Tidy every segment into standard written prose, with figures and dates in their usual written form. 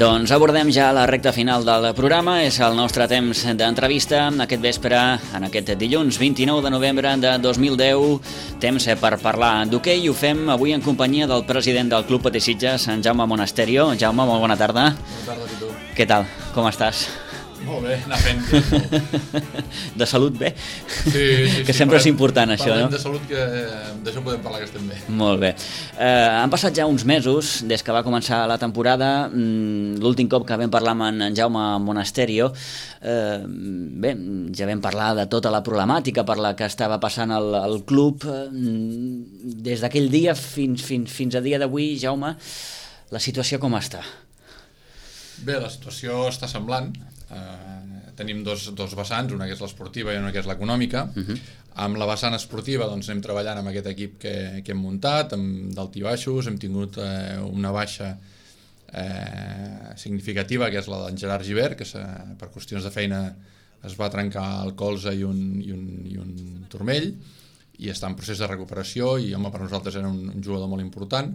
Doncs abordem ja la recta final del programa, és el nostre temps d'entrevista aquest vespre, en aquest dilluns 29 de novembre de 2010, temps per parlar d'hoquei, i ho fem avui en companyia del president del Club Patí Sitges, en Jaume Monasterio. Jaume, molt bona tarda. Bona tarda a tu. Què tal? Com estàs? Molt bé, anar fent. De salut bé? Sí. Que sempre és important això, no? Parlem de salut, que d'això podem parlar, que estem bé. Molt bé. Han passat ja uns mesos des que va començar la temporada. L'últim cop que vam parlar amb en Jaume Monasterio, bé, ja vam parlar de tota la problemàtica per la que estava passant el club. Des d'aquell dia fins a dia d'avui, Jaume, la situació com està? Bé, la situació està semblant. Tenim dos vessants, una que és l'esportiva i una que és l'econòmica. Amb la vessant esportiva doncs, anem treballant amb aquest equip que hem muntat, amb d'alt i baixos. Hem tingut una baixa significativa, que és la d'en Gerard Gibert, que per qüestions de feina es va trencar el colze i un turmell, i està en procés de recuperació, i home, per nosaltres era un jugador molt important.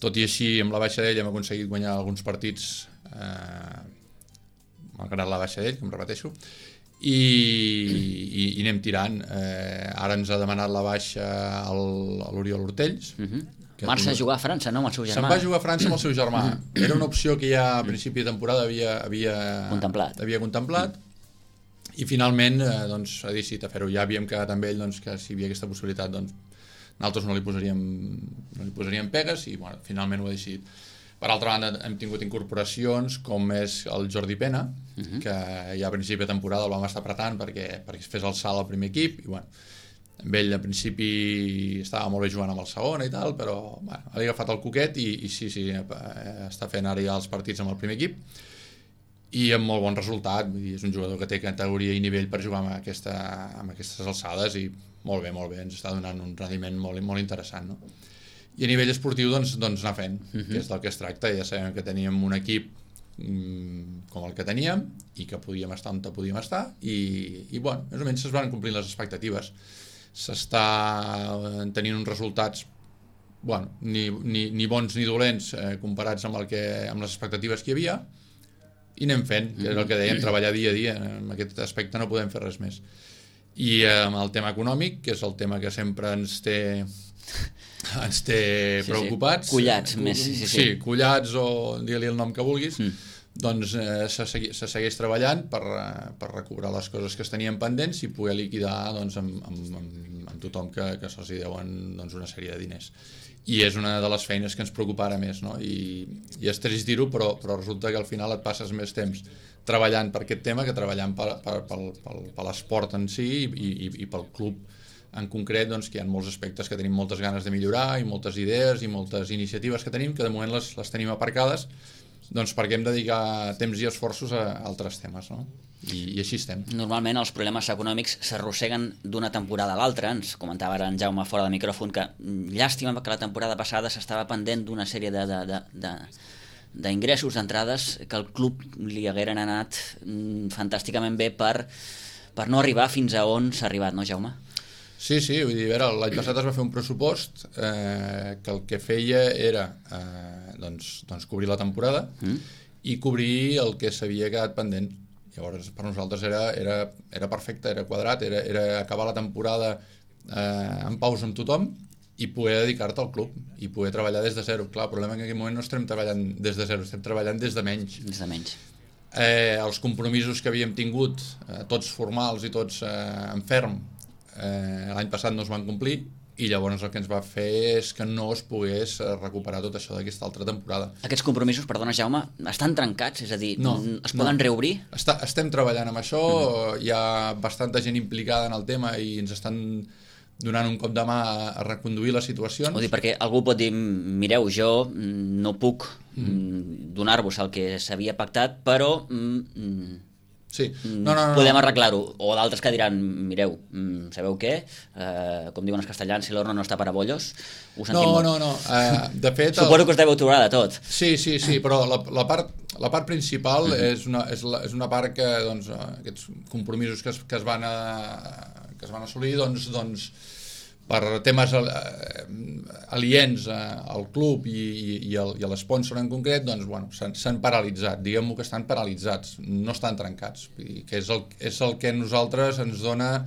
Tot i així, amb la baixa d'ell hem aconseguit guanyar alguns partits, malgrat la baixa d'ell, com repeteixo, i anem tirant. Ara ens ha demanat la baixa l'Oriol Hortells. Marxa a jugar a França, no, amb el seu germà? Se'n va jugar a França amb el seu germà. Era una opció que ja a principi de temporada havia contemplat, i finalment doncs, ha decidit a fer-ho. Ja havíem quedat amb ell doncs, que si hi havia aquesta possibilitat, doncs, nosaltres no li posaríem pegues, i bueno, finalment ho ha decidit. Per altra banda, hem tingut incorporacions com és el Jordi Pena, que ja a principi de temporada el vam estar apretant perquè es fes el salt al primer equip, i bueno, amb ell al principi estava molt bé jugant amb el segon i tal, però bueno, ha agafat el coquet i sí, està fent ara ja els partits amb el primer equip, i amb molt bon resultat. Vull dir, és un jugador que té categoria i nivell per jugar amb aquestes alçades, i molt bé, ens està donant un rendiment molt interessant, no? I a nivell esportiu doncs anar fent, que és del que es tracta. Ja sabem que teníem un equip com el que teníem i que podíem estar on podíem estar, i bueno, més o menys es van complir les expectatives. S'està tenint uns resultats, bueno, ni bons ni dolents comparats amb les expectatives que hi havia, i anem fent, que és el que dèiem, treballar dia a dia. En aquest aspecte no podem fer res més. I amb el tema econòmic, que és el tema que sempre ens té preocupats, collats més, sí, collats, o digue-li el nom que vulguis, doncs se segueix treballant per recobrar les coses que es tenien pendents i poder liquidar doncs, amb tothom que se'ls deuen doncs, una sèrie de diners. I és una de les feines que ens preocupa ara més, no? I és trist dir-ho, però resulta que al final et passes més temps treballant per aquest tema que treballant per l'esport en si i pel club en concret, doncs, que hi ha molts aspectes que tenim moltes ganes de millorar, i moltes idees i moltes iniciatives que tenim, que de moment les tenim aparcades, doncs perquè hem de dedicar temps i esforços a altres temes, no? I així estem. Normalment els problemes econòmics s'arrosseguen d'una temporada a l'altra. Ens comentava ara en Jaume fora de micròfon que llàstima que la temporada passada s'estava pendent d'una sèrie d'ingressos, d'entrades, que al club li hagueren anat fantàsticament bé per no arribar fins a on s'ha arribat, no, Jaume? Sí, vull dir, l'any passat es va fer un pressupost que el que feia era doncs cobrir la temporada i cobrir el que s'havia quedat pendent. Llavors, per nosaltres era perfecte, era quadrat, era acabar la temporada en pausa amb tothom i poder dedicar-te al club i poder treballar des de zero. Clar, el problema és que en aquell moment no estem treballant des de zero, estem treballant des de menys. Els compromisos que havíem tingut, tots formals i tots en ferm, l'any passat no es van complir, i llavors el que ens va fer és que no es pogués recuperar tot això d'aquesta altra temporada. Aquests compromisos, perdona Jaume, estan trencats? És a dir, es poden reobrir? Estem treballant amb això, hi ha bastanta gent implicada en el tema i ens estan donant un cop de mà a reconduir les situacions. Vull dir, perquè algú pot dir, mireu, jo no puc donar-vos el que s'havia pactat, però sí. Podem arreglar-ho. O d'altres que diran, mireu, sabeu què? Com diuen els castellans, si l'horno no està per a bollos. No. De fet, suposo que us deveu trobar de tot. Sí, però la part principal és una part que aquests compromisos que es van assolir, doncs per temes aliens al club i a l'espònsor en concret, doncs, bueno, s'han paralitzat, diguem-ho que estan paralitzats, no estan trencats, que és el que a nosaltres ens dona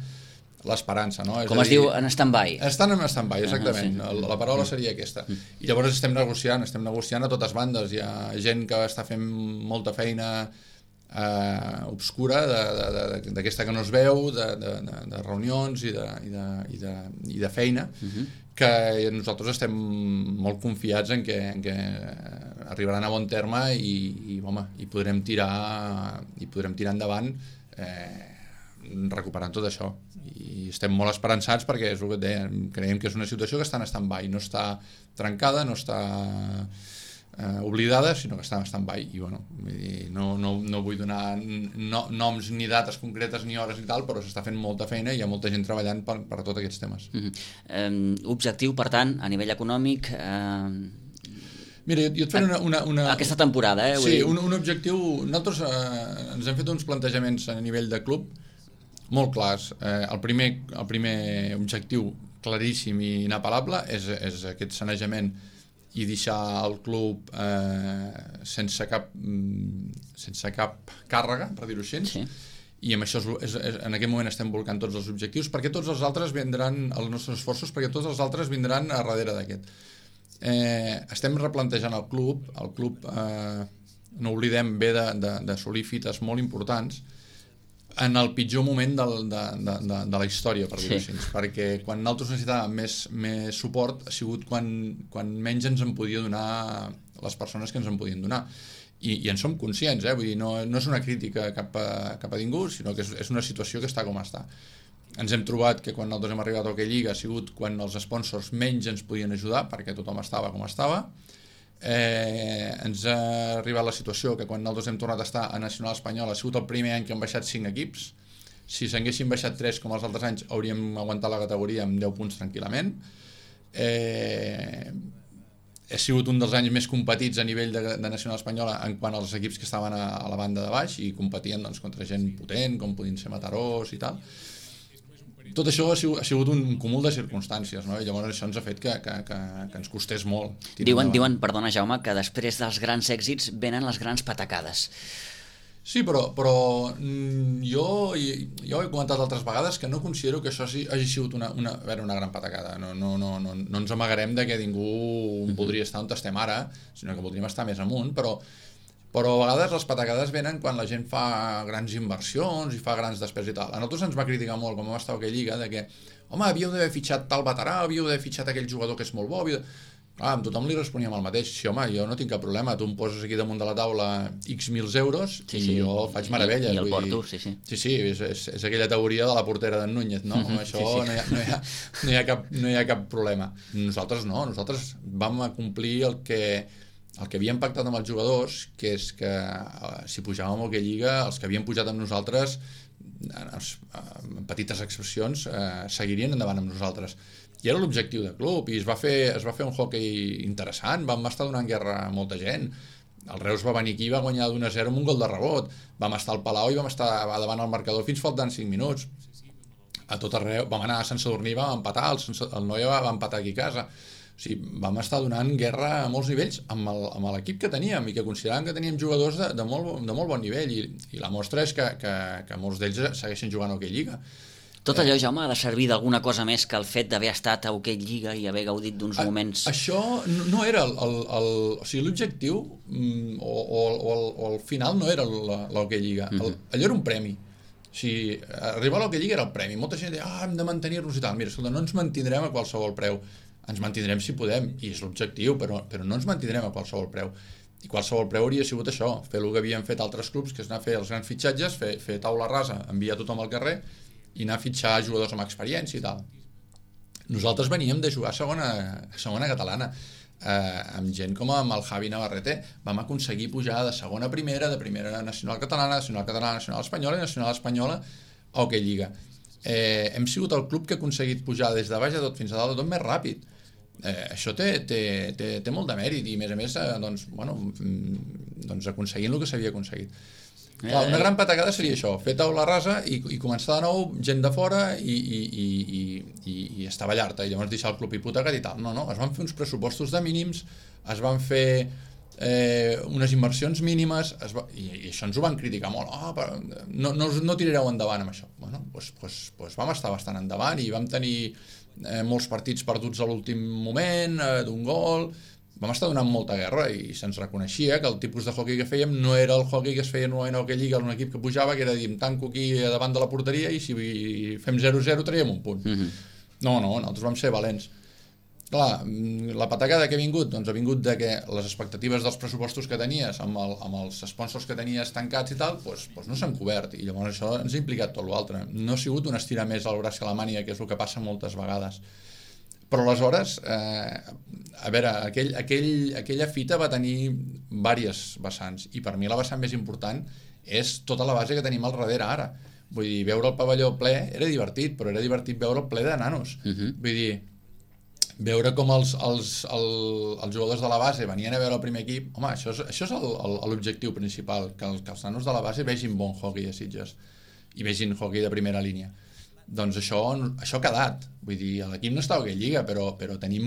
l'esperança, no? Com es diu, en stand-by. Estan en stand-by, exactament. La paraula seria aquesta. I llavors estem negociant a totes bandes. Hi ha gent que està fent molta feina obscura d'aquesta que no es veu, de reunions i de feina, que nosaltres estem molt confiats en que arribaran a bon terme i podrem tirar endavant recuperant tot això. I estem molt esperançats perquè és el que dèiem, creiem que és una situació que està en stand-by, no està trencada, no està oblidada, sinó que està en stand-by. I bueno, no vull donar noms ni dates concretes ni hores i tal, però s'està fent molta feina i hi ha molta gent treballant per tots aquests temes. Objectiu, per tant, a nivell econòmic... Mira, jo et faré una... Aquesta temporada, Sí, un objectiu... Nosaltres ens hem fet uns plantejaments a nivell de club molt clars. El primer objectiu claríssim i inapel·lable és aquest sanejament i deixar el club sense cap càrrega, per dir-ho així. Sí. I amb això en aquest moment estem volcant tots els objectius, perquè tots els altres vindran, els nostres esforços, perquè tots els altres vindran a darrere d'aquest. Estem replantejant el club, no oblidem, ve d'assolir fites molt importants en el pitjor moment de la història, per dir-ho així, perquè quan nosaltres necessitàvem més suport ha sigut quan menys ens en podia donar les persones que ens en podien donar. I en som conscients, vull dir, no és una crítica cap a ningú, sinó que és una situació que està com està. Ens hem trobat que quan nosaltres hem arribat a Hockey Lliga ha sigut quan els sponsors menys ens podien ajudar, perquè tothom estava com estava. Ens ha arribat la situació que quan nosaltres hem tornat a estar a Nacional Espanyol ha sigut el primer any que han baixat 5 equips. Si s'haguessin baixat 3 com els altres anys hauríem aguantat la categoria amb 10 punts tranquil·lament. Ha sigut un dels anys més competits a nivell de Nacional Espanyola en quant als equips que estaven a la banda de baix i competien contra gent potent com podien ser Matarós i tal. Tot això ha sigut un cúmul de circumstàncies, no? I llavors això ens ha fet que ens costés molt. Diuen, perdona Jaume, que després dels grans èxits venen les grans patacades. Sí, però jo he comentat altres vegades que no considero que això hagi sigut una gran patacada. No ens amagarem de que ningú voldria estar on estem ara, sinó que voldríem estar més amunt, però a vegades les patacades venen quan la gent fa grans inversions i fa grans despeses i tal. A nosaltres ens va criticar molt, com vam estar a aquella lliga, de que, home, havíeu d'haver fitxat tal veterà, havíeu d'haver fitxat aquell jugador que és molt bo. Amb tothom li responíem el mateix. Sí, home, jo no tinc cap problema, tu em poses aquí damunt de la taula X mils euros i jo faig meravelles. I el porto, sí. Sí, és aquella teoria de la portera d'en Núñez, no? Amb això no hi ha cap problema. Nosaltres no, nosaltres vam acomplir el que havíem pactat amb els jugadors, que és que si pujàvem a aquella lliga, els que havien pujat amb nosaltres, en petites excepcions, seguirien endavant amb nosaltres. I era l'objectiu del club, i es va fer un hockey interessant, vam estar donant guerra a molta gent. El Reus va venir aquí i va guanyar d'1-0 amb un gol de rebot. Vam estar al Palau i vam estar davant el marcador fins faltant 5 minuts. A tot arreu, vam anar a Sant Sadurní, vam empatar, el Noia va empatar aquí a casa. O sigui, vam estar donant guerra a molts nivells amb l'equip que teníem i que consideràvem que teníem jugadors de molt bon nivell i la mostra és que molts d'ells segueixen jugant a Hockey Lliga. Tot allò, Jaume, ha de servir d'alguna cosa més que el fet d'haver estat a Hockey Lliga i haver gaudit d'uns moments... Això no era o sigui, l'objectiu o el final no era l'Hockey Lliga. Allò era un premi. O sigui, arribar a l'Hockey Lliga era el premi. Molta gent deia, hem de mantenir-nos i tal. Mira, escolta, no ens mantindrem a qualsevol preu. Ens mantindrem si podem, i és l'objectiu, però no ens mantindrem a qualsevol preu. I qualsevol preu hauria sigut això, fer el que havien fet altres clubs, que és anar a fer els grans fitxatges, fer taula rasa, enviar tothom al carrer i anar a fitxar jugadors amb experiència i tal. Nosaltres veníem de jugar a segona catalana, amb gent com amb el Javi Navarrete. Vam aconseguir pujar de segona a primera, de primera a nacional catalana, nacional espanyola i nacional espanyola a Hockey Lliga. Hem sigut el club que ha aconseguit pujar des de baix de tot fins a dalt de tot més ràpid. Això té molt de mèrit i a més aconseguint el que s'havia aconseguit. Clar, una gran patacada seria això, fer taula rasa i començar de nou, gent de fora i estavellar-te, i llavors deixar el club hipotecat i tal. No, es van fer uns pressupostos de mínims, es van fer unes inversions mínimes, i això ens ho van criticar molt. No tirareu endavant amb això. Bueno, doncs vam estar bastant endavant i vam tenir molts partits perduts a l'últim moment, d'un gol. Vam estar donant molta guerra i se'ns reconeixia que el tipus de hoquei que fèiem no era el hoquei que es feia normalment a Hockey Lliga, un equip que pujava, que era dir, tanco aquí davant de la porteria i si fem 0-0 traiem un punt. No, nosaltres vam ser valents. Clar, la patacada que ha vingut, doncs ha vingut de que les expectatives dels pressupostos que tenies amb els sponsors que tenies tancats i tal, doncs no s'han cobert, i llavors això ens ha implicat tot l'altre. No ha sigut un estirar més al braç que la màniga, que és el que passa moltes vegades. Però aleshores, a veure, aquella fita va tenir diverses vessants, i per mi la vessant més important és tota la base que tenim al darrere ara. Vull dir, veure el pavelló ple era divertit, però era divertit veure el ple de nanos. Vull dir, veure com els jugadors de la base venien a veure el primer equip, home, això és l'objectiu principal, que els nanos de la base vegin bon hoquei a Sitges i vegin hoquei de primera línia. Doncs això ha quedat. Vull dir, l'equip no està a Hockey Lliga, però tenim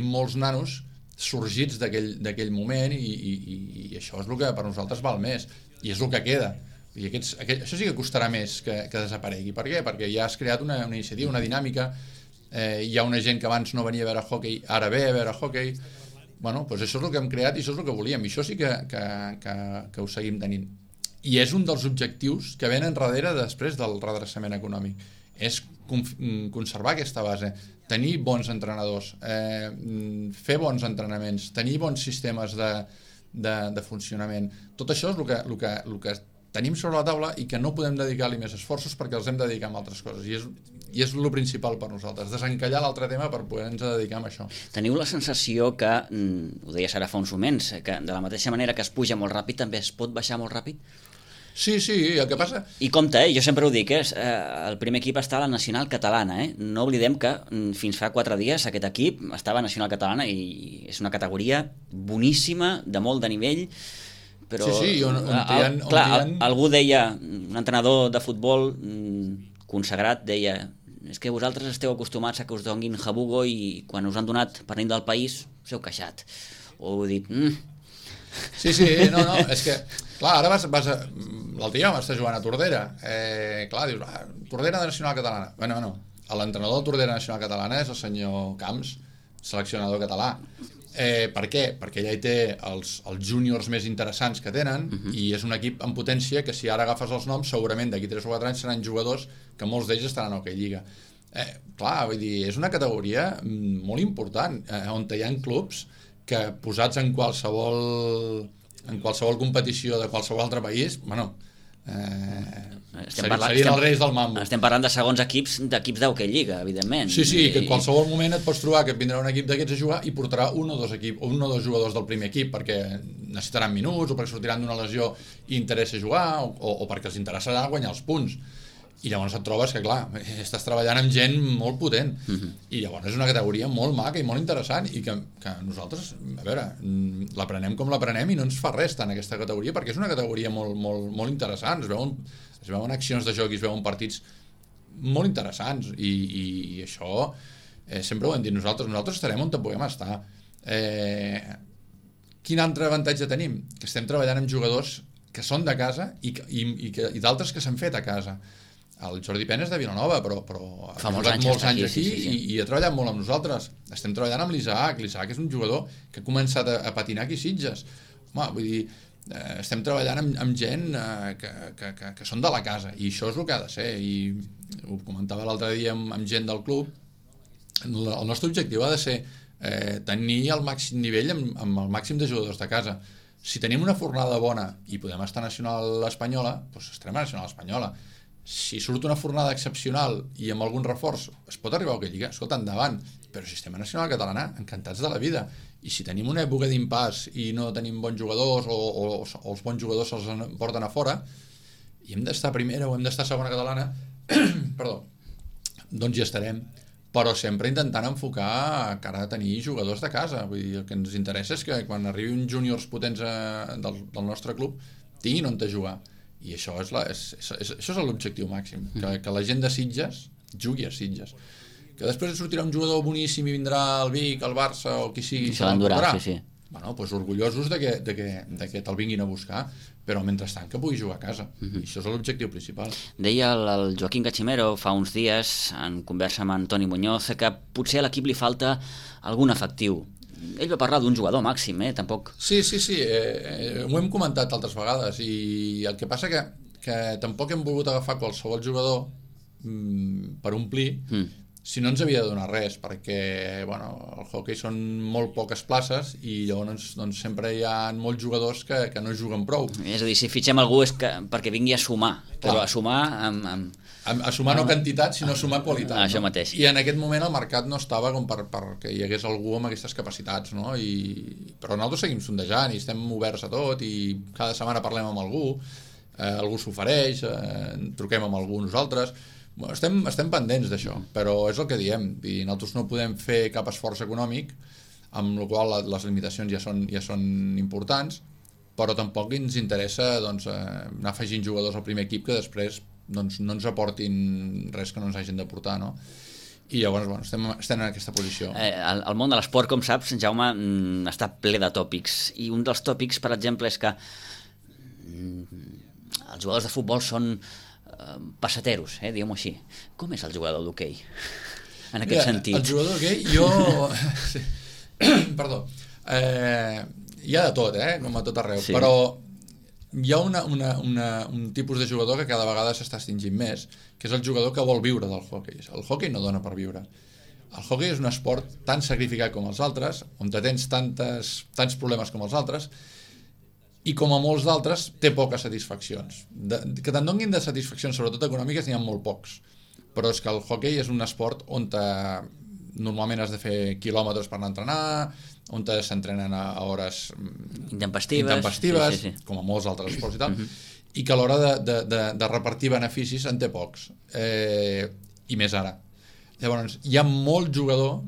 molts nanos sorgits d'aquell moment i això és el que per nosaltres val més, i és el que queda. Vull dir, això sí que costarà més que desaparegui. Per què? Perquè ja has creat una iniciativa, una dinàmica, hi ha una gent que abans no venia a veure hoquei, ara ve a veure hoquei. Bueno, doncs això és el que hem creat i això és el que volíem, i això sí que ho seguim tenint. I és un dels objectius que venen darrere després del redreçament econòmic, és conservar aquesta base, tenir bons entrenadors, fer bons entrenaments, tenir bons sistemes de funcionament. Tot això és el que tenim sobre la taula i que no podem dedicar-li més esforços perquè els hem de dedicar a altres coses, i és el principal per nosaltres, desencallar l'altre tema per poder-nos dedicar a això. Teniu la sensació que, ho deies ara fa uns moments, que de la mateixa manera que es puja molt ràpid també es pot baixar molt ràpid? Sí, el que passa... I compte, jo sempre ho dic, el primer equip està a la Nacional Catalana, no oblidem que fins fa 4 dies aquest equip estava a Nacional Catalana i és una categoria boníssima, de molt de nivell, però... Sí, algú deia, un entrenador de futbol consagrat deia, és que vosaltres esteu acostumats a que us donguin jabugo i quan us han donat per nit del país us heu queixat. O dic... Sí, no, és que, clar, ara l'altre dia vam estar jugant a Tordera, clar, dius, Tordera de Nacional Catalana. Bueno, l'entrenador de Tordera Nacional Catalana és el senyor Camps, seleccionador català. Per què? Perquè ella hi té els júniors més interessants que tenen, i és un equip en potència que si ara agafes els noms, segurament d'aquí 3 o 4 anys seran jugadors que molts d'ells estaran a Hockey Lliga. Clar, vull dir, és una categoria molt important, on hi ha clubs que posats en qualsevol competició de qualsevol altre país, serien els reis del mambo. Estem parlant de segons equips d'equips d'Hockey Lliga, evidentment. Sí, que en qualsevol moment et pots trobar que et vindrà un equip d'aquests a jugar i portarà un o dos jugadors del primer equip perquè necessitaran minuts o perquè sortiran d'una lesió i interessa jugar o perquè els interessarà guanyar els punts. I llavors et trobes que, clar, estàs treballant amb gent molt potent, i llavors és una categoria molt maca i molt interessant, i que nosaltres, a veure, l'aprenem com l'aprenem i no ens fa res tant aquesta categoria, perquè és una categoria molt interessant, es veuen accions de joc i es veuen partits molt interessants, i això sempre ho hem dit nosaltres estarem on puguem estar. Quin altre avantatge tenim? Que estem treballant amb jugadors que són de casa i d'altres que s'han fet a casa. El Jordi Pena és de Vilanova, però fa molts anys aquí. I ha treballat molt amb nosaltres. Estem treballant amb l'Isaac és un jugador que ha començat a patinar aquí a Sitges. Home, vull dir, estem treballant amb gent que són de la casa, i això és el que ha de ser, i ho comentava l'altre dia amb gent del club. El nostre objectiu ha de ser tenir el màxim nivell amb el màxim de jugadors de casa. Si tenim una fornada bona i podem estar a Nacional Espanyola, doncs estarem a Nacional Espanyola. Si surt una fornada excepcional i amb algun reforç es pot arribar a Hockey Lliga, escolta, endavant, però si estem a Nacional Catalana, encantats de la vida, i si tenim una època d'impàs i no tenim bons jugadors o els bons jugadors se'ls porten a fora i hem d'estar a primera o hem d'estar a segona catalana perdó, doncs hi estarem, però sempre intentant enfocar cara a tenir jugadors de casa. Vull dir, el que ens interessa és que quan arribin júniors potents del nostre club tinguin on jugar. I això és l'objectiu màxim, que la gent de Sitges jugui a Sitges. Que després sortirà un jugador boníssim i vindrà el Vic, el Barça o qui sigui, se l'endurà, sí. Bueno, doncs orgullosos de que te'l vinguin a buscar, però mentrestant que pugui jugar a casa. I això és l'objectiu principal. Deia el Joaquín Cachimero fa uns dies, en conversa amb Antoni Muñoz, que potser a l'equip li falta algun efectiu. Ell va parlar d'un jugador màxim, tampoc... Sí, ho hem comentat altres vegades, i el que passa que tampoc hem volgut agafar qualsevol jugador per omplir, si no ens havia de donar res, perquè el hoquei són molt poques places i llavors sempre hi ha molts jugadors que no juguen prou. És a dir, si fitxem algú és perquè vingui a sumar, però a sumar a sumar no quantitat, sinó a sumar qualitat. Això mateix. I en aquest moment el mercat no estava com perquè hi hagués algú amb aquestes capacitats, no? Però nosaltres seguim sondejant i estem oberts a tot i cada setmana parlem amb algú s'ofereix, truquem amb algú nosaltres. Estem pendents d'això, però és el que diem, i nosaltres no podem fer cap esforç econòmic, amb la qual les limitacions ja són importants, però tampoc ens interessa anar afegint jugadors al primer equip que després no ens aportin res que no ens hagin de portar, no? I llavors estem en aquesta posició. El món de l'esport, com saps, Jaume, està ple de tòpics, i un dels tòpics, per exemple, és que els jugadors de futbol són passateros, diguem-ho així. Com és el jugador d'hoquei? En aquest sentit. El jugador d'hoquei, Perdó. Hi ha de tot, com a tot arreu, però hi ha un tipus de jugador que cada vegada s'està extingint més, que és el jugador que vol viure del hoquei. El hoquei no dona per viure. El hoquei és un esport tan sacrificat com els altres, on tens tants problemes com els altres, i com a molts d'altres té poques satisfaccions. Que te'n donin de satisfaccions, sobretot econòmiques, n'hi ha molt pocs. Però és que el hoquei és un esport on normalment has de fer quilòmetres per anar a entrenar, on s'entrenen a hores intempestives, com a molts altres esports i tal, i que a l'hora de repartir beneficis en té pocs. I més ara. Llavors, hi ha molt jugador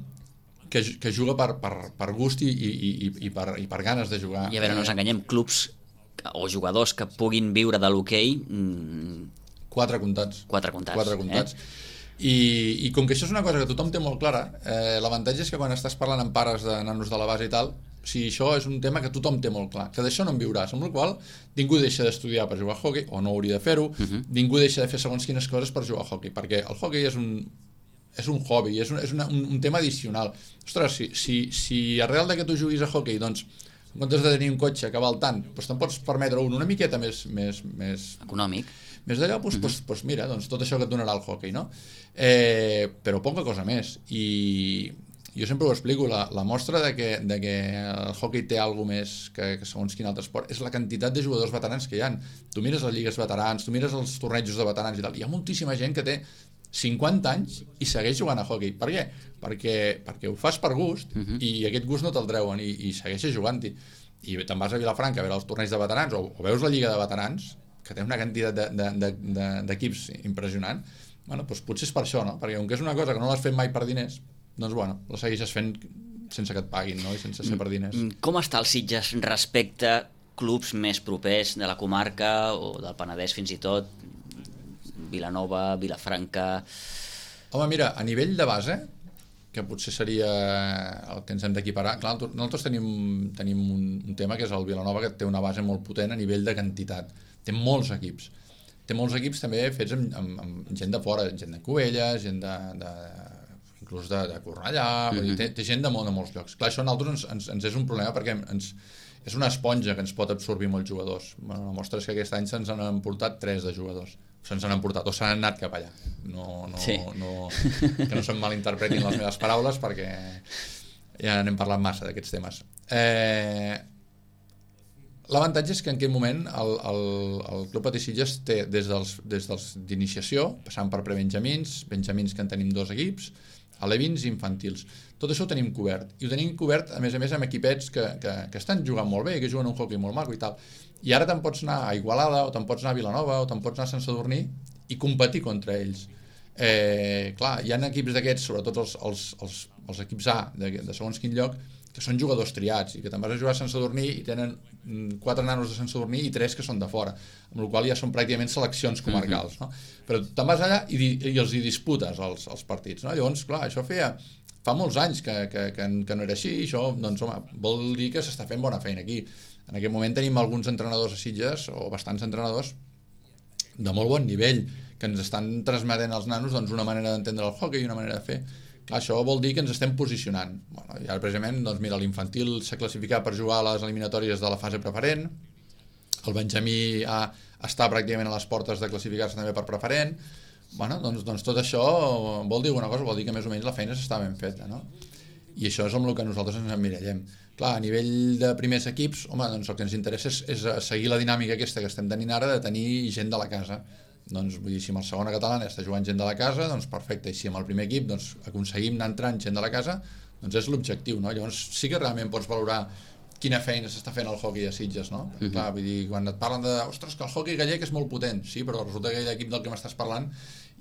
que juga per gust i per ganes de jugar. I a veure, no ens enganyem, clubs o jugadors que puguin viure de l'hoquei... 4 comptats. 4 comptats. I com que això és una cosa que tothom té molt clara, l'avantatge és que quan estàs parlant amb pares de nanos de la base i tal, si això és un tema que tothom té molt clar, que d'això no en viuràs, amb la qual ningú deixa d'estudiar per jugar a hoquei, o no hauria de fer-ho, ningú deixa de fer segons quines coses per jugar a hoquei, perquè el hoquei és un hobby, és un tema addicional. Ostres, si arrel de que tu juguis a hoquei, doncs, en comptes de tenir un cotxe que val tant, doncs te'n pots permetre una miqueta més econòmic, més d'allò, doncs mira, doncs tot això que et donarà el hoquei, no? Però poca cosa més. I jo sempre ho explico, la mostra de que el hoquei té alguna més que segons quin altre esport és la quantitat de jugadors veterans que hi ha. Tu mires les lligues veterans, tu mires els tornejos de veterans i tal, hi ha moltíssima gent que té 50 anys i segueix jugant a hoquei. Per què? Perquè ho fas per gust i aquest gust no te'l treuen i segueixes jugant-hi. I te'n vas a Vilafranca a veure els torneigs de veterans o veus la lliga de veterans, que té una quantitat d'equips impressionant. Bueno, doncs potser és per això, no? Perquè com que és una cosa que no l'has fet mai per diners, doncs la segueixes fent sense que et paguin, no? I sense ser per diners. Com està el Sitges respecte a clubs més propers de la comarca o del Penedès fins i tot, Vilanova, Vilafranca... Home, mira, a nivell de base, que potser seria el que ens hem d'equiparar, clar, nosaltres tenim un tema que és el Vilanova, que té una base molt potent a nivell de quantitat. Té molts equips. Té molts equips també fets amb gent de fora, gent de Cubelles, gent inclús de Cornellà, té gent de molts llocs. Clar, això a nosaltres ens és un problema perquè és una esponja que ens pot absorbir molts jugadors. Bueno, la mostra és que aquest any se'ns han portat 3 de jugadors. Se'ns han portat, o s'han anat cap allà. Que no se'm malinterpretin les meves paraules perquè ja n'hem parlat massa d'aquests temes. L'avantatge és que en aquest moment el Club Patí Sitges té des d'iniciació, passant per prebenjamins, benjamins que en tenim 2 equips, alevins i infantils. Tot això ho tenim cobert. I ho tenim cobert, a més amb equipets que estan jugant molt bé, que juguen un hoquei molt maco i tal. I ara te'n pots anar a Igualada, o te'n pots anar a Vilanova, o te'n pots anar a Sant Sadurní i competir contra ells. Clar, hi ha equips d'aquests, sobretot els equips A de segons quin lloc, que són jugadors triats i que te'n vas a jugar a Sant Sadurní i tenen 4 nanos de Sant Sadurní i 3 que són de fora, amb la qual ja són pràcticament seleccions comarcals, no? Però te'n vas allà i els hi disputes els partits, no? Llavors, clar, això fa molts anys que no era així, i això, doncs, home, vol dir que s'està fent bona feina aquí. En aquest moment tenim alguns entrenadors a Sitges, o bastants entrenadors, de molt bon nivell, que ens estan transmetent als nanos doncs, una manera d'entendre el hockey i una manera de fer. Clar, això vol dir que ens estem posicionant. Bueno, i ara, precisament, doncs, mira, l'infantil s'ha classificat per jugar a les eliminatòries de la fase preferent, el Benjamí està pràcticament a les portes de classificar-se també per preferent. Bueno, doncs tot això vol dir alguna cosa, vol dir que més o menys la feina s'està ben feta, no? I això és amb el que nosaltres ens emmirallem. Clar, a nivell de primers equips, home, doncs el que ens interessa és seguir la dinàmica aquesta que estem tenint ara de tenir gent de la casa. Doncs vull dir, si amb el segona catalana està jugant gent de la casa, doncs perfecte, i si amb el primer equip doncs, aconseguim anar entrant gent de la casa, doncs és l'objectiu, no? Llavors sí que realment pots valorar quina feina s'està fent al hoquei a Sitges, no? Clar, vull dir, quan et parlen de, ostres, que el hoquei gallec és molt potent, sí, però resulta que l'equip del que m'estàs parlant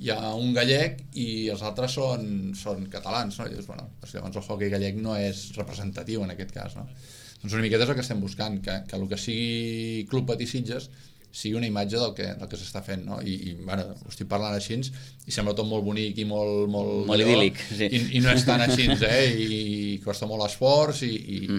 hi ha un gallec i els altres són catalans, no? I dius, bueno, doncs llavors el hoquei gallec no és representatiu en aquest cas, no? Doncs una miqueta és el que estem buscant, que el que sigui Club Patí Sitges sigui una imatge del que s'està fent, no? I bueno, ho estic parlant així i sembla tot molt bonic i molt idíl·lic, sí. I no és tan així, i costa molt esforç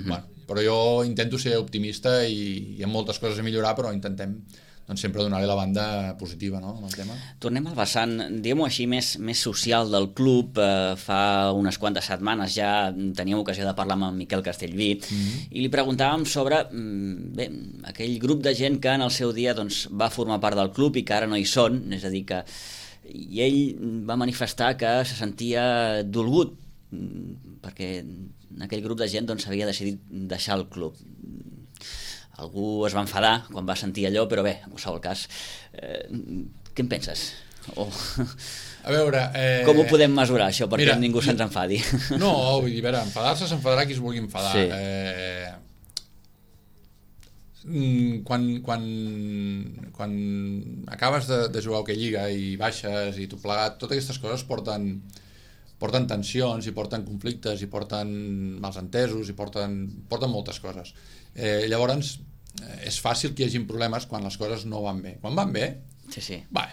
bueno, però jo intento ser optimista i hi ha moltes coses a millorar, però intentem doncs, sempre donar-li la banda positiva, no, amb el tema. Tornem al vessant, diguem-ho així, més social del club. Fa unes quantes setmanes ja teníem ocasió de parlar amb en Miquel Castellví i li preguntàvem sobre aquell grup de gent que en el seu dia doncs, va formar part del club i que ara no hi són, és a dir que i ell va manifestar que se sentia dolgut perquè aquell grup de gent doncs, havia decidit deixar el club. Algú es va enfadar quan va sentir allò, però bé, en qualsevol cas, què en penses? A veure... Com ho podem mesurar, això, perquè ningú se'ns enfadi? No, vull dir, a veure, enfadar-se s'enfadarà qui es vulgui enfadar. Sí. Quan acabes de jugar a hoquei lliga i baixes i tot plegat, totes aquestes coses porten tensions i porten conflictes i porten malentesos i porten moltes coses. Llavors és fàcil que hi hagi problemes quan les coses no van bé. Quan van bé, sí. Va,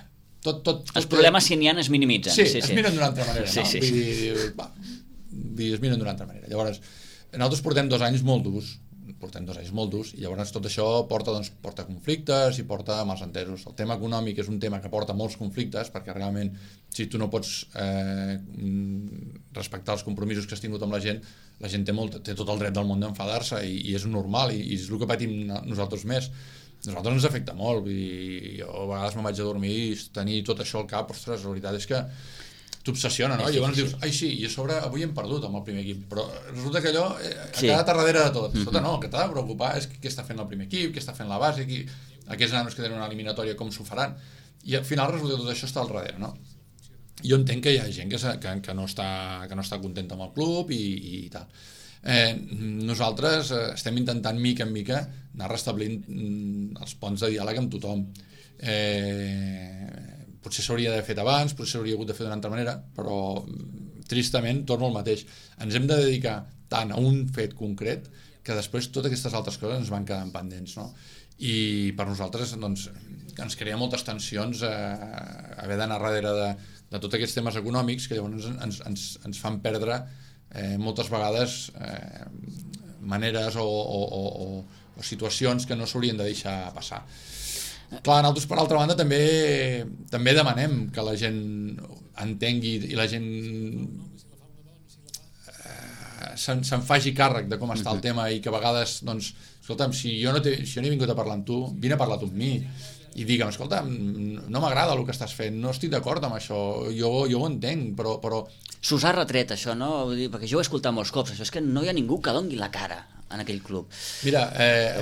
tot els problemes, si n'hi ha, es minimitzen. Sí, es miren d'una altra manera, no? Sí. Vull dir, es miren d'una altra manera. Llavors, nosaltres portem 2 anys molt durs, i llavors tot això porta conflictes i porta malentesos. El tema econòmic és un tema que porta molts conflictes, perquè realment si tu no pots respectar els compromisos que has tingut amb la gent té tot el dret del món d'enfadar-se i és normal, i és el que patim nosaltres més. Nosaltres ens afecta molt, vull dir, jo a vegades me'n vaig a dormir i tenir tot això al cap, ostres, la veritat és que t'obsessiona, no? I llavors dius, ai sí, i a sobre avui hem perdut amb el primer equip, però resulta que allò ha quedat a darrere de tot. Escolta, no, el que t'ha de preocupar és què està fent el primer equip, què està fent la base, aquests nanos que tenen una eliminatòria, com s'ho faran, i al final resulta que tot això està al darrere, no? Jo entenc que hi ha gent que no està contenta amb el club i tal. Nosaltres estem intentant mica en mica anar restablint els ponts de diàleg amb tothom. Potser s'hauria d'haver fet abans, potser s'hauria hagut de fer d'una altra manera, però tristament torno al mateix. Ens hem de dedicar tant a un fet concret que després totes aquestes altres coses ens van quedant pendents, no? I per nosaltres doncs, ens crea moltes tensions haver d'anar darrere de tots aquests temes econòmics que llavors ens fan perdre moltes vegades maneres o situacions que no s'haurien de deixar passar. Clar, nosaltres per altra banda també demanem que la gent entengui i la gent se'n faci càrrec de com està el tema i que a vegades, doncs, escolta'm, si jo no he vingut a parlar amb tu, vine a parlar tu amb mi i digue'm, escolta, no m'agrada el que estàs fent, no estic d'acord amb això, jo ho entenc, però... S'us ha retret això, no? Perquè jo ho he escoltat molts cops, això és que no hi ha ningú que doni la cara en aquell club. Mira,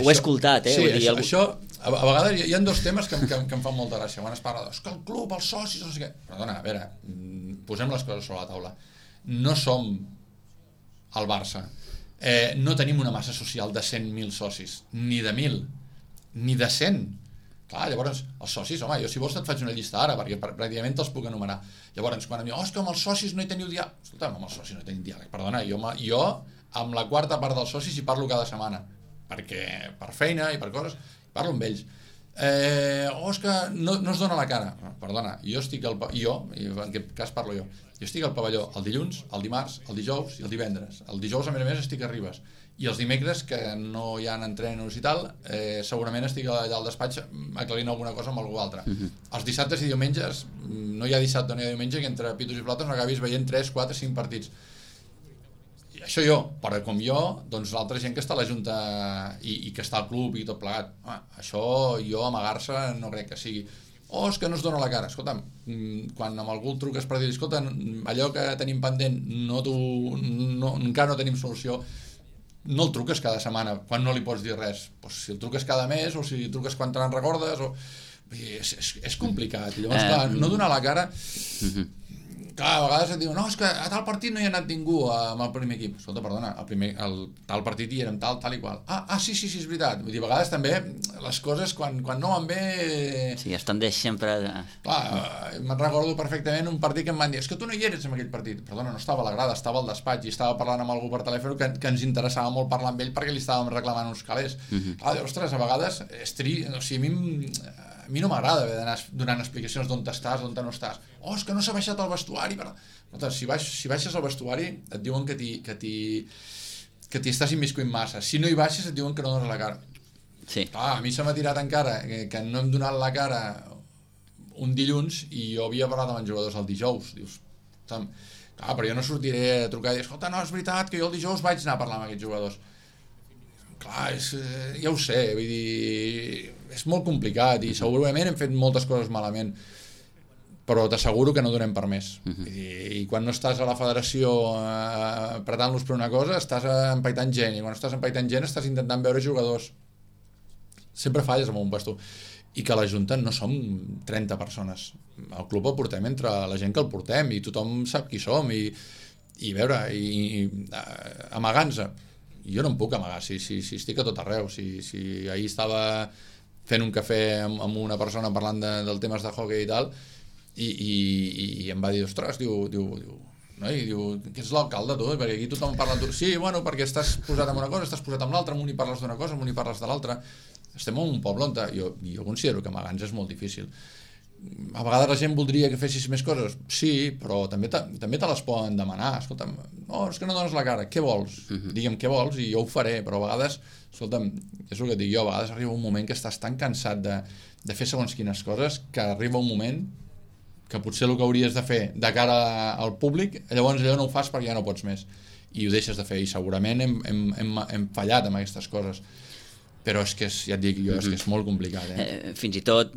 ho he escoltat, Sí, vull dir, això a vegades hi ha 2 temes que em fan molta gràcia. Quan es parla que el club, els socis, no sé què... Perdona, a veure, posem les coses sobre la taula. No som el Barça. No tenim una massa social de 100.000 socis, ni de 1.000, ni de 100. Clar, llavors, els socis, home, jo si vols et faig una llista ara, perquè pràcticament te'ls puc enumerar. Llavors, quan em diuen, és que amb els socis no hi teniu diàleg. Escolta'm, amb els socis no hi tenim diàleg. Perdona, jo amb la quarta part dels socis hi parlo cada setmana, perquè per feina i per coses, parlo amb ells. És que no es dona la cara. Perdona, jo estic en aquest cas parlo jo estic al pavelló el dilluns, el dimarts, el dijous i el divendres. El dijous, a més, estic a Ribes. I els dimecres, que no hi ha entrenos i tal, segurament estic allà al despatx aclarint alguna cosa amb algú altre. Els dissabtes i diumenges, no hi ha dissabte, no hi ha diumenge, que entre pitos i flautes no acabis veient 3, 4, 5 partits. I això jo, però com jo, doncs l'altra gent que està a la Junta i que està al club i tot plegat. Això jo, amagar-se, no crec que sigui. És que no es dona la cara. Escolta'm, quan amb algú el truques per dir, escolta, allò que tenim pendent encara no tenim solució, no el truques cada setmana quan no li pots dir res. Pues si el truques cada mes o si el truques quan te n'en recordes és complicat. I llavors, clar, no donar la cara... Clar, a vegades et diuen, no, és que a tal partit no hi ha anat ningú amb el primer equip. Escolta, perdona, el tal partit hi érem tal i qual. Sí, és veritat. Vull dir, a vegades també les coses, quan no van bé... Sí, es tendeix sempre... Clar, me'n recordo perfectament un partit que em van dir, és que tu no hi eres en aquell partit. Perdona, no estava a la grada, estava al despatx i estava parlant amb algú per telèfon que ens interessava molt parlar amb ell perquè li estàvem reclamant uns calés. Clar, ostres, a vegades o sigui, a mi no m'agrada haver d'anar donant explicacions d'on estàs, d'on no estàs. És que no s'ha baixat al vestuari. Si baixes al vestuari et diuen que t'hi estàs immiscuint massa. Si no hi baixes et diuen que no dones la cara. Sí. A mi se m'ha tirat encara que no hem donat la cara un dilluns i jo havia parlat amb els jugadors el dijous. Dius, però jo no sortiré a trucar i dir, escolta, no, és veritat que jo el dijous vaig anar a parlar amb aquests jugadors. Clar, ja ho sé, vull dir, és molt complicat i segurament hem fet moltes coses malament, però t'asseguro que no donem per més. I quan no estàs a la federació apretant-los per una cosa, estàs empaitant gent, i quan estàs empaitant gent estàs intentant veure jugadors. Sempre falles amb un vestuari. I que a la Junta no som 30 persones. El club el portem entre la gent que el portem i tothom sap qui som i veure, amagant-se. Jo no em puc amagar, si estic a tot arreu. Si ahir estava fent un cafè amb una persona parlant del temes de hockey i tal, i em va dir, ostres, diu, que és l'alcalde tu, perquè aquí tothom parla tu. Sí, bueno, perquè estàs posat en una cosa, estàs posat en l'altra, amb un hi parles d'una cosa, amb un hi parles de l'altra. Estem en un poble on jo considero que amagant-se és molt difícil. A vegades la gent voldria que fessis més coses, sí, però també te les poden demanar. Escolta'm, és que no dones la cara, què vols? Digue'm què vols i jo ho faré, però a vegades, escolta'm, és el que et dic jo, a vegades arriba un moment que estàs tan cansat de fer segons quines coses que arriba un moment que potser el que hauries de fer de cara al públic, llavors allò no ho fas perquè ja no pots més i ho deixes de fer, i segurament hem fallat amb aquestes coses. Però és que ja et dic jo, és que és molt complicat. Fins i tot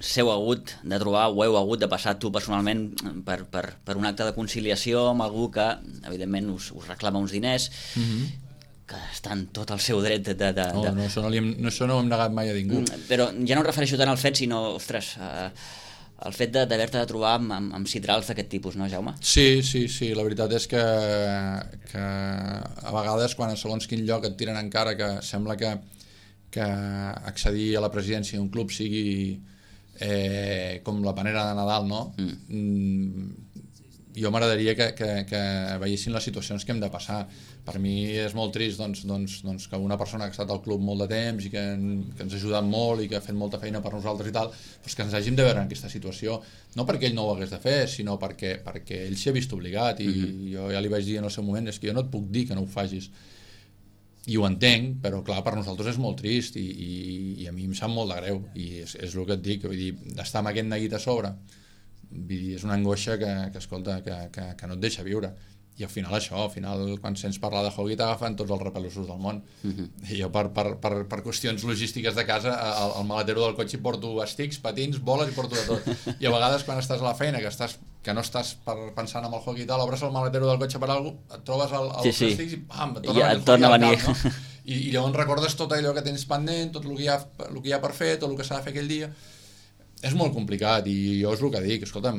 s'heu hagut de trobar, o heu hagut de passar tu personalment per un acte de conciliació amb algú que, evidentment, us reclama uns diners, que està en tot el seu dret de... No, això no ho hem negat mai a ningú. Però ja no em refereixo tant al fet, sinó, ostres, el fet d'haver-te de trobar amb citrals d'aquest tipus, no, Jaume? Sí, la veritat és que a vegades quan a segons quin lloc et tiren en cara que sembla que accedir a la presidència d'un club sigui com la panera de Nadal, no? Jo m'agradaria que veiessin les situacions que hem de passar. Per mi és molt trist doncs, que una persona que ha estat al club molt de temps i que ens ha ajudat molt i que ha fet molta feina per nosaltres i tal, doncs que ens hàgim de veure en aquesta situació, no perquè ell no ho hagués de fer, sinó perquè ell s'hi ha vist obligat, i jo ja li vaig dir en el seu moment, és que jo no et puc dir que no ho facis. I ho entenc, però clar, per nosaltres és molt trist i a mi em sap molt de greu, i és el que et dic, vull dir, d'estar amb aquest neguit a sobre, vull dir, és una angoixa que escolta, que no et deixa viure. I al final quan sents parlar de hockey t'agafen tots els repelossos del món. I jo per qüestions logístiques de casa al maletero del cotxe hi porto estics, patins, boles, i porto de tot. I a vegades quan estàs a la feina que no estàs pensant en el hockey i tal, obres el maletero del cotxe per alguna cosa, et trobes els estics i pam, et torna a venir. No? I llavors recordes tot allò que tens pendent, tot el que hi ha per fer, tot el que s'ha de fer aquell dia. És molt complicat, i jo és el que dic, escolta'm,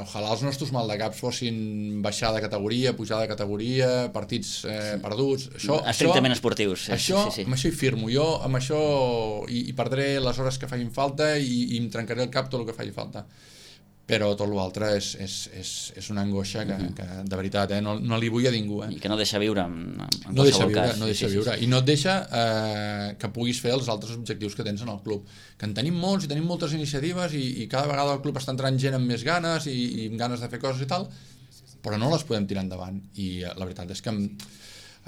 ojalà els nostres maldecaps fossin baixar de categoria, pujar de categoria, partits perduts... Estrictament esportius. Amb això hi firmo, jo amb això hi perdré les hores que facin falta i em trencaré el cap tot el que faci falta. Però tot l'altre és una angoixa que de veritat, no li vull a ningú. I que no deixa viure en qualsevol cas. No deixa viure. I no et deixa que puguis fer els altres objectius que tens en el club. Que en tenim molts i tenim moltes iniciatives i cada vegada el club està entrant gent amb més ganes i amb ganes de fer coses i tal, però no les podem tirar endavant. I la veritat és que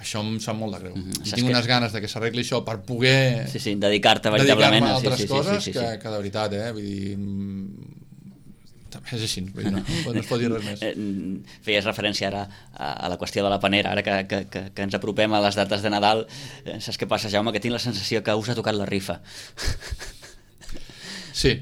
això em sap molt de greu. I tinc unes ganes de que s'arregli això per poder dedicar-te veritablement a altres coses que de veritat, vull dir... És així, no es pot dir res més. Feies referència ara a la qüestió de la panera, ara que ens apropem a les dates de Nadal. Saps què passa, Jaume? Que tinc la sensació que us ha tocat la rifa. Sí.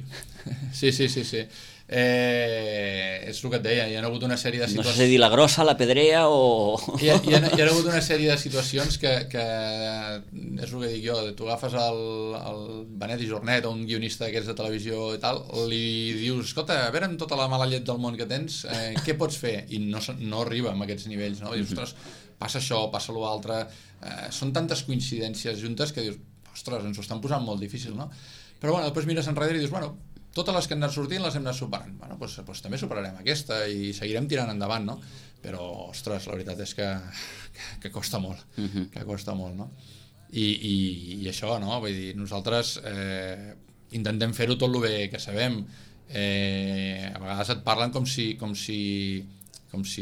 És el que et deia, hi ha hagut una sèrie de situacions... No sé si dir la grossa, la pedrea o... Hi ha hagut una sèrie de situacions que és el que dic jo, tu agafes el Benet i Jornet o un guionista d'aquests de televisió i tal, li dius, escolta, a veure, amb tota la mala llet del món que tens, què pots fer? I no arriba amb aquests nivells, no? Dius, ostres, passa això, passa l'altre, són tantes coincidències juntes que dius, ostres, ens ho estan posant molt difícil, no? Però bueno, després mires enrere i dius, bueno, totes les que han anat sortint les hem anat superant. Bueno, doncs també superarem aquesta i seguirem tirant endavant, no? Però, ostres, la veritat és que costa molt, que costa molt, no? I això, no? Vull dir, nosaltres intentem fer-ho tot el bé que sabem. A vegades et parlen com si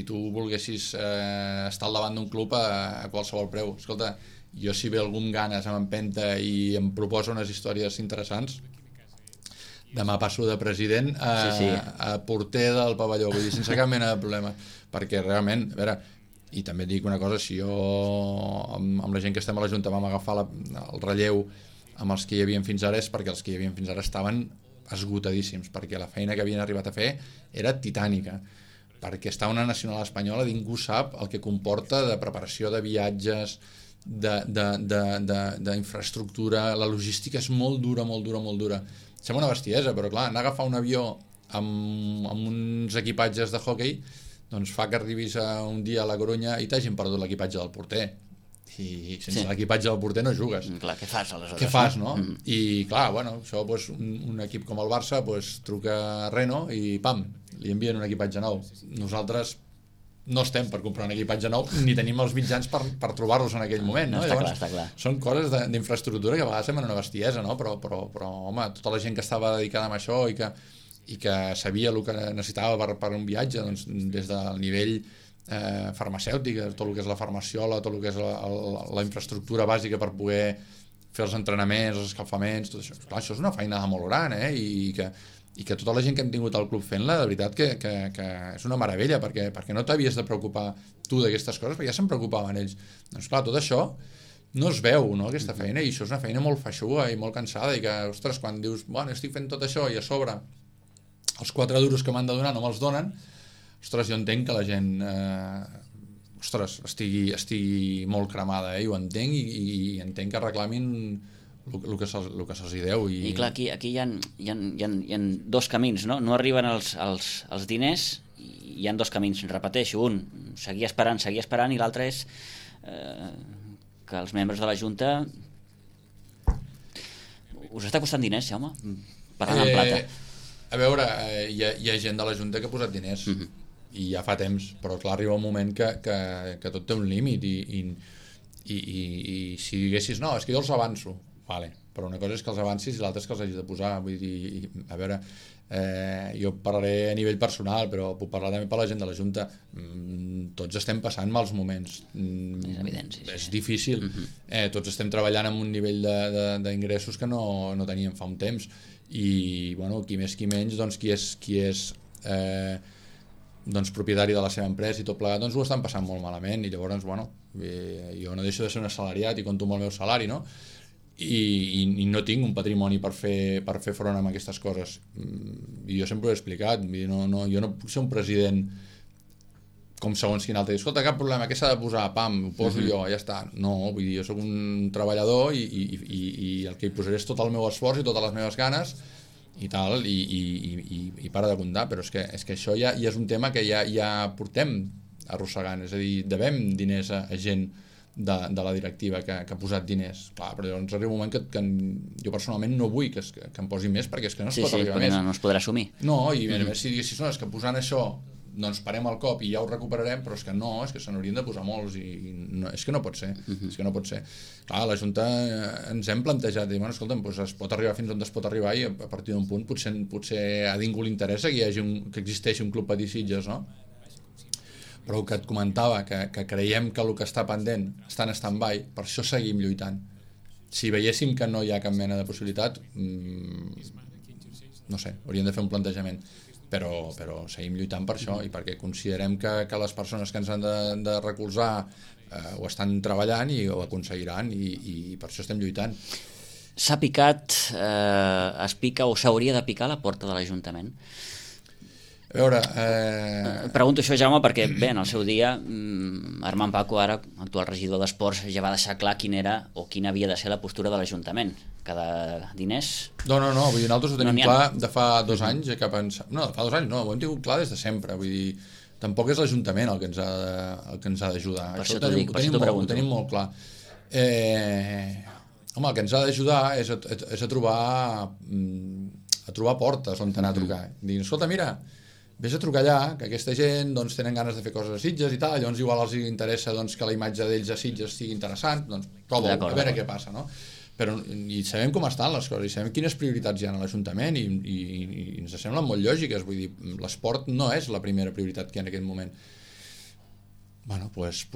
tu volguessis estar al davant d'un club a qualsevol preu. Escolta, jo si ve algú amb ganes, amb empenta i em proposa unes històries interessants, demà passo de president a porter del pavelló, vull dir, sense cap mena de problema, perquè realment, a veure, i també et dic una cosa, si jo amb la gent que estem a la Junta vam agafar el relleu amb els que hi havien fins ara, és perquè els que hi havien fins ara estaven esgotadíssims, perquè la feina que havien arribat a fer era titànica, perquè està una nacional espanyola, ningú sap el que comporta de preparació de viatges, d'infraestructura, la logística és molt dura. Sembla una bestiesa, però clar, anar a agafar un avió amb uns equipatges de hoquei doncs fa que arribis un dia a la Corunya i t'hagin perdut l'equipatge del porter. I sense l'equipatge del porter no jugues. Clar, què fas aleshores? Què fas, no? I clar, bueno, això, un equip com el Barça truca a Renault i pam, li envien un equipatge nou. Nosaltres no estem per comprar un equipatge nou ni tenim els mitjans per trobar-los en aquell moment, no? Està clar. Són coses d'infraestructura que a vegades semblen una bestiesa, no? Però home, tota la gent que estava dedicada a això i que sabia el que necessitava per un viatge, doncs, des del nivell farmacèutic, tot el que és la farmaciola, tot el que és la infraestructura bàsica per poder fer els entrenaments, els escalfaments, tot això. Clar, això és una feina molt gran, i que tota la gent que hem tingut al club fent-la, de veritat que és una meravella, perquè no t'havies de preocupar tu d'aquestes coses, perquè ja se'n preocupaven ells. Doncs clar, tot això no es veu, no, aquesta feina, i això és una feina molt feixuga i molt cansada, i que, ostres, quan dius, bueno, estic fent tot això i a sobre els 4 duros que m'han de donar no me'ls donen, ostres, jo entenc que la gent estigui molt cremada, i ho entenc, i entenc que reclamin el que se'ls deu. I clar, aquí hi ha dos camins, no? No arriben els diners, i hi ha dos camins, repeteixo, un, seguir esperant, i l'altre és que els membres de la Junta... Us està costant diners, Jaume? Parlant en plata. A veure, hi ha gent de la Junta que ha posat diners, i ja fa temps, però clar, arriba un moment que tot té un límit, i si diguessis, no, és que jo els avanço, vale, però una cosa és que els avancis i l'altra és que els hagis de posar. Vull dir, a veure, jo parlaré a nivell personal, però puc parlar també per la gent de la Junta. Tots estem passant mals moments. És evident, sí. És difícil. Tots estem treballant amb un nivell d'ingressos que no teníem fa un temps. I, bueno, qui més qui menys, doncs qui és doncs propietari de la seva empresa i tot plegat, doncs ho estan passant molt malament, i llavors, bueno, jo no deixo de ser un assalariat i compto amb el meu salari, no? I no tinc un patrimoni per fer front a aquestes coses, i jo sempre ho he explicat, jo no puc ser un president com segons quin altre, escolta, cap problema, què s'ha de posar, pam, ho poso jo, ja està. No, vull dir, jo sóc un treballador i el que hi posaré és tot el meu esforç i totes les meves ganes, i tal, i para de comptar, però és que això ja és un tema que ja portem arrossegant, és a dir, devem diners a gent de la directiva que ha posat diners. Clar, però llavors arriba un moment que jo personalment no vull que em posi més, perquè és que no es pot arribar més. No es podrà assumir. No, i a més si diguessis, no, és que posant això doncs parem el cop i ja ho recuperarem, però és que no, és que se n'haurien de posar molts i no, és que no pot ser, és que no pot ser. Clar, la Junta ens hem plantejat, i bueno, escolta'm, doncs es pot arribar fins on es pot arribar i a partir d'un punt potser a ningú li interessa que existeixi un club Patí Sitges, no? Però el que et comentava, que creiem que el que està pendent està en stand-by, per això seguim lluitant. Si veiéssim que no hi ha cap mena de possibilitat, no sé, hauríem de fer un plantejament. Però seguim lluitant per això i perquè considerem que les persones que ens han de recolzar ho estan treballant i ho aconseguiran i per això estem lluitant. S'ha picat, es pica o s'hauria de picar a la porta de l'Ajuntament? A veure... Pregunto això, Jaume, perquè bé, en el seu dia Armand Paco, ara actual regidor d'Esports, ja va deixar clar quina havia de ser la postura de l'Ajuntament. Cada diners... No, vull dir, nosaltres ho tenim clar de fa 2 anys, no, de fa 2 anys no, ho hem tingut clar des de sempre, vull dir, tampoc és l'Ajuntament el que ens ha d'ajudar. Per això t'ho dic, per això t'ho pregunto. Ho tenim molt clar. Home, el que ens ha d'ajudar és a trobar portes on anar a trucar. Dir, escolta, mira, vés a trucar allà, que aquesta gent doncs, tenen ganes de fer coses a Sitges i tal, llavors igual els interessa doncs, que la imatge d'ells a Sitges sigui interessant, doncs prova, a veure què passa, no? Però i sabem com estan les coses, i sabem quines prioritats hi ha a l'Ajuntament i ens semblen molt lògiques, vull dir, l'esport no és la primera prioritat que hi ha en aquest moment. Bueno, pues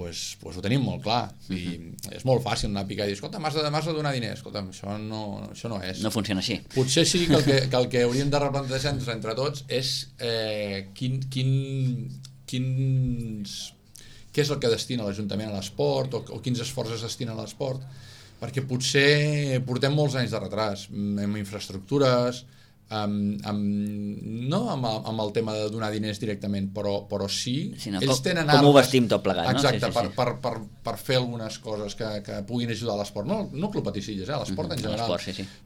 ho tenim molt clar i és molt fàcil anar a picar i dir, escolta, m'has de donar diners, escolta, això no és. No funciona així. Potser sí que el que hauríem de replantejar-nos entre tots és què és el que destina l'Ajuntament a l'esport o quins esforços es destinen a l'esport, perquè potser portem molts anys de retras amb infraestructures, no amb el tema de donar diners directament, però sí, ells tenen com ho vestim tot plegat, no? Exacte, per fer algunes coses que puguin ajudar a l'esport, no Club Patí Sitges, l'esport en general,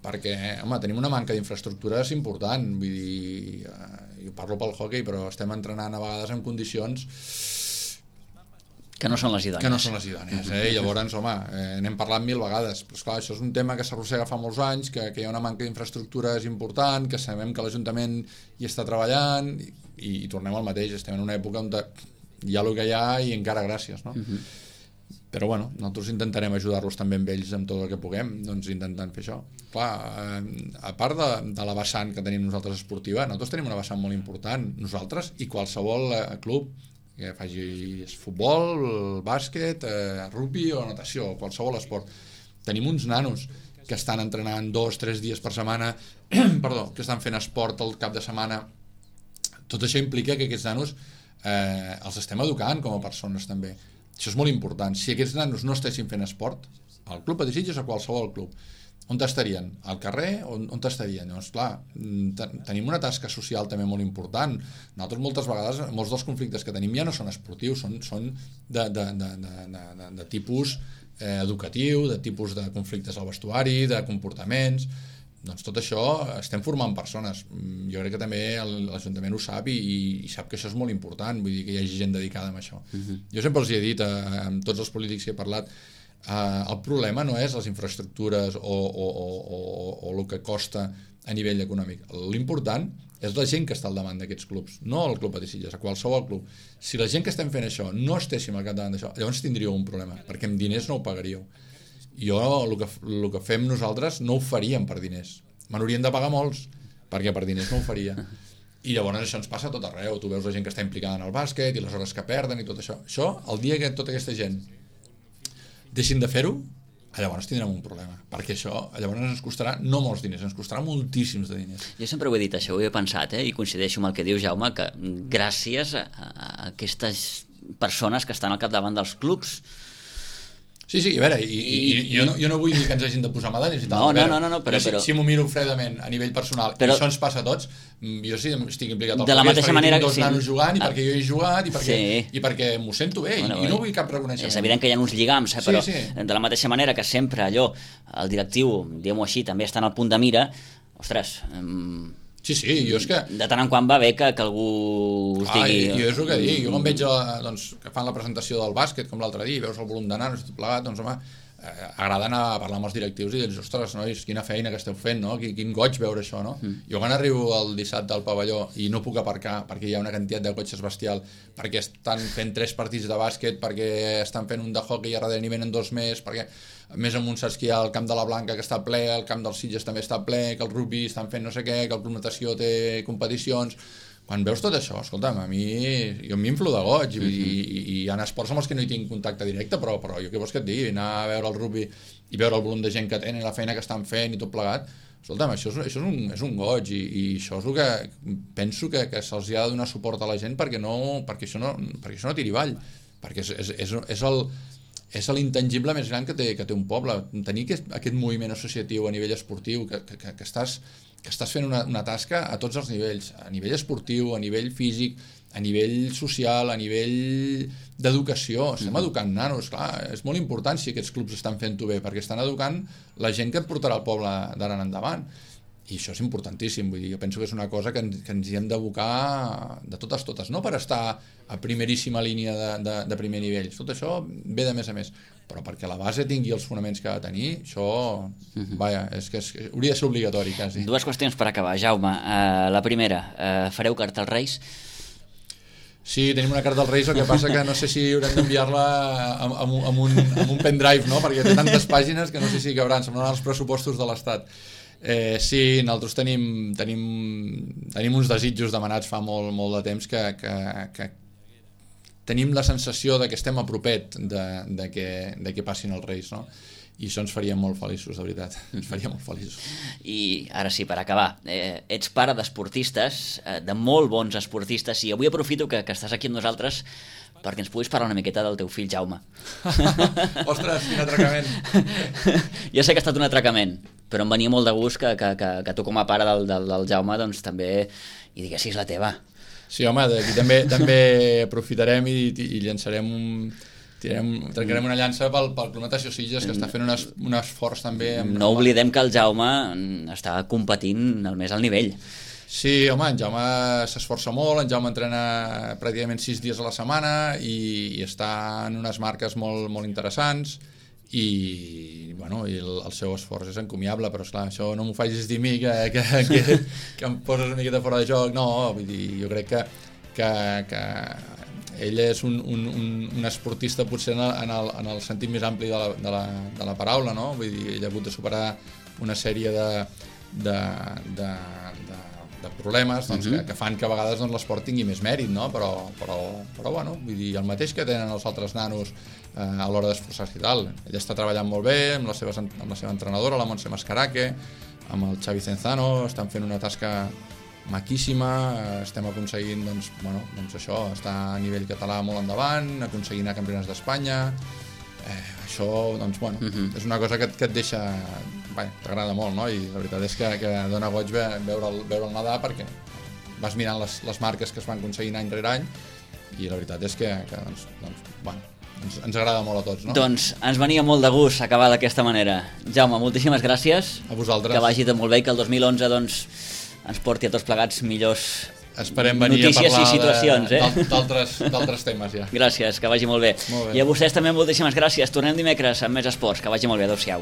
perquè home, tenim una manca d'infraestructures important, vull dir, jo parlo pel hoquei, però estem entrenant a vegades en condicions que no són les idònies. I llavors, home, n'hem parlat 1000 vegades, però esclar, això és un tema que s'arrossega fa molts anys, que hi ha una manca d'infraestructures important, que sabem que l'Ajuntament hi està treballant i tornem al mateix, estem en una època on hi ha el que hi ha i encara gràcies, no? Però bueno, nosaltres intentarem ajudar-los també amb ells amb tot el que puguem, doncs intentant fer això. Clar, a part de la vessant que tenim nosaltres esportiva, nosaltres tenim una vessant molt important, nosaltres i qualsevol club que faci futbol, bàsquet, rugby o natació, qualsevol esport. Tenim uns nanos que estan entrenant 2-3 dies per setmana, que estan fent esport el cap de setmana. Tot això implica que aquests nanos els estem educant com a persones també. Això és molt important. Si aquests nanos no estessin fent esport, al Club Patí Sitges o a qualsevol club, on estarien? Al carrer? On estarien? Doncs clar, tenim una tasca social també molt important. Nosaltres moltes vegades, molts dels conflictes que tenim ja no són esportius, són de tipus educatiu, de tipus de conflictes al vestuari, de comportaments. Doncs tot això estem formant persones. Jo crec que també l'Ajuntament ho sap i sap que això és molt important, vull dir que hi hagi gent dedicada a això. Jo sempre els he dit a tots els polítics que he parlat, el problema no és les infraestructures o el que costa a nivell econòmic. L'important és la gent que està al davant d'aquests clubs, no el Club Patí Sitges, a qualsevol club. Si la gent que estem fent això no estéssim al capdavant d'això, llavors tindríeu un problema, perquè amb diners no ho pagaríeu. El que fem nosaltres no ho faríem per diners. Me n'haurien de pagar molts, perquè per diners no ho faria. I llavors això ens passa a tot arreu. Tu veus la gent que està implicada en el bàsquet i les hores que perden i tot això. Això, el dia que tota aquesta gent deixin de fer-ho, llavors tindrem un problema, perquè això llavors ens costarà no molts diners, ens costarà moltíssims de diners. Jo sempre ho he dit això, ho he pensat, i coincideixo amb el que diu Jaume, que gràcies a aquestes persones que estan al capdavant dels clubs. Sí, a veure, jo no vull dir que ens hagin de posar medalles i tal. No, però si m'ho miro fredament a nivell personal, i això ens passa a tots, jo sí estic implicat al de la mateixa manera que tinc 2 nanos jugant i perquè jo he jugat i perquè m'ho sento bé i no vull cap reconeixement. És evident que hi ha uns lligams, però de la mateixa manera que sempre allò, el directiu, diguem-ho així, també està en el punt de mira, ostres, Sí, jo és que... De tant en quant va bé que algú us digui... Jo és el que dic, jo quan veig que fan la presentació del bàsquet, com l'altre dia, veus el volum de nanos i tot plegat, doncs home, agrada anar a parlar amb els directius i dir, ostres, nois, quina feina que esteu fent, no? Quin goig veure això, no? Jo quan arribo el dissabte al pavelló i no puc aparcar perquè hi ha una quantitat de cotxes bestial, perquè estan fent 3 partits de bàsquet, perquè estan fent un de hockey i a darrere n'hi venen 2 més, perquè més amunt saps que hi ha el camp de la Blanca que està ple, el camp dels Sitges també està ple, que el rugby estan fent no sé què, que el Club Natació té competicions. Quan veus tot això, escolta'm, jo m'inflo de goig i hi ha esports amb els que no hi tinc contacte directe, però jo què vols que et digui? Anar a veure el rugby i veure el volum de gent que tenen, la feina que estan fent i tot plegat, escolta'm, això és un goig i això és el que penso que se'ls ha de donar suport a la gent perquè això no tiri avall, perquè és l'intangible més gran que té un poble. Tenir aquest moviment associatiu a nivell esportiu, que estàs fent una tasca a tots els nivells, a nivell esportiu, a nivell físic, a nivell social, a nivell d'educació. Estem educant nanos, clar, és molt important si aquests clubs estan fent-ho bé, perquè estan educant la gent que et portarà al poble d'ara en endavant. I això és importantíssim, vull dir, jo penso que és una cosa que ens hi hem d'abocar de totes, no per estar a primeríssima línia de primer nivell, tot això ve de més a més, però perquè la base tingui els fonaments que ha de tenir, això, vaja, és que hauria de ser obligatori, quasi. 2 qüestions per acabar, Jaume. La primera, fareu carta als Reis? Sí, tenim una carta als Reis, el que passa que no sé si haurem d'enviar-la amb un pendrive, no? Perquè té tantes pàgines que no sé si cabran, semblaran els pressupostos de l'Estat. Sí, nosaltres tenim uns desitjos demanats fa molt de temps que tenim la sensació de que estem a propet de que passin els Reis, no? I això ens faria molt feliços, de veritat, ens faria molt feliços. I ara sí, per acabar, ets pare d'esportistes, de molt bons esportistes, i avui aprofito que estàs aquí amb nosaltres perquè ens puguis parlar una miqueta del teu fill Jaume. Ostres, quin atracament! Jo sé que ha estat un atracament, però em venia molt de gust que tu com a pare del Jaume doncs també hi diguessis la teva. Sí, home, d'aquí també aprofitarem i llançarem trencarem una llança pel Club Natació Sitges, que està fent un esforç també. No oblidem que el Jaume està competint al més alt nivell. Sí, home, en Jaume s'esforça molt, en Jaume entrena pràcticament 6 dies a la setmana i està en unes marques molt interessants i el seu esforç és encomiable, però esclar, això no m'ho facis dir a mi que em poses una miqueta fora de joc. No, vull dir, jo crec que ell és un esportista potser en el sentit més ampli de la paraula, no? Vull dir, ell ha hagut de superar una sèrie de problemes que fan que a vegades l'esport tingui més mèrit, no? Però bueno, vull dir, el mateix que tenen els altres nanos a l'hora d'esforçar-se i tal. Ell està treballant molt bé amb la seva entrenadora, la Montse Mascaraque, amb el Xavi Cenzano, estan fent una tasca maquíssima, estem aconseguint això, estar a nivell català molt endavant, aconseguint anar a campionats d'Espanya. Això és una cosa que et deixa, t'agrada molt, no? I la veritat és que dona goig veure'l nedar, perquè vas mirant les marques que es van aconseguint any rere any i la veritat és que ens agrada molt a tots, no? Doncs ens venia molt de gust acabar d'aquesta manera. Jaume, moltíssimes gràcies. A vosaltres. Que vagi tot molt bé i que el 2011 ens porti a tots plegats millors notícies i situacions. D'altres temes, ja. Gràcies, que vagi molt bé. I a vostès també moltíssimes gràcies. Tornem dimecres amb més esports. Que vagi molt bé. Adéu-siau.